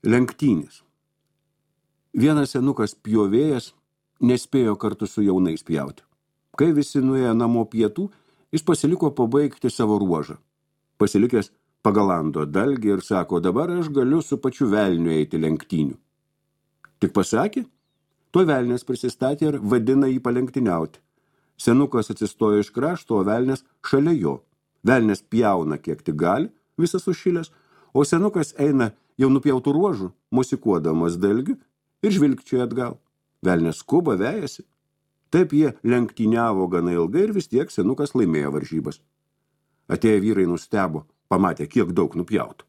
Lenktynės. Vienas senukas pjovėjas nespėjo kartu su jaunais pjauti. Kai visi nuėjo namo pietų, jis pasiliko pabaigti savo ruožą. Pasilikęs pagalando dalgį ir sako, dabar aš galiu su pačiu velniu eiti lenktynių. Tik pasakė, tuo velnės prisistatė ir vadina jį palenktyniauti. Senukas atsistojo iš krašto, o velnės šalia jo. Velnės pjauna kiek tik gali, visas sušilęs, o senukas eina jau nupjautų ruožų, mosikuodamas dalgiu ir žvilgčioja atgal. Velnės skuba, vejasi. Taip jie lenktyniavo gana ilgai ir vis tiek senukas laimėjo varžybas. Atėję vyrai nustebo, pamatė, kiek daug nupjautų.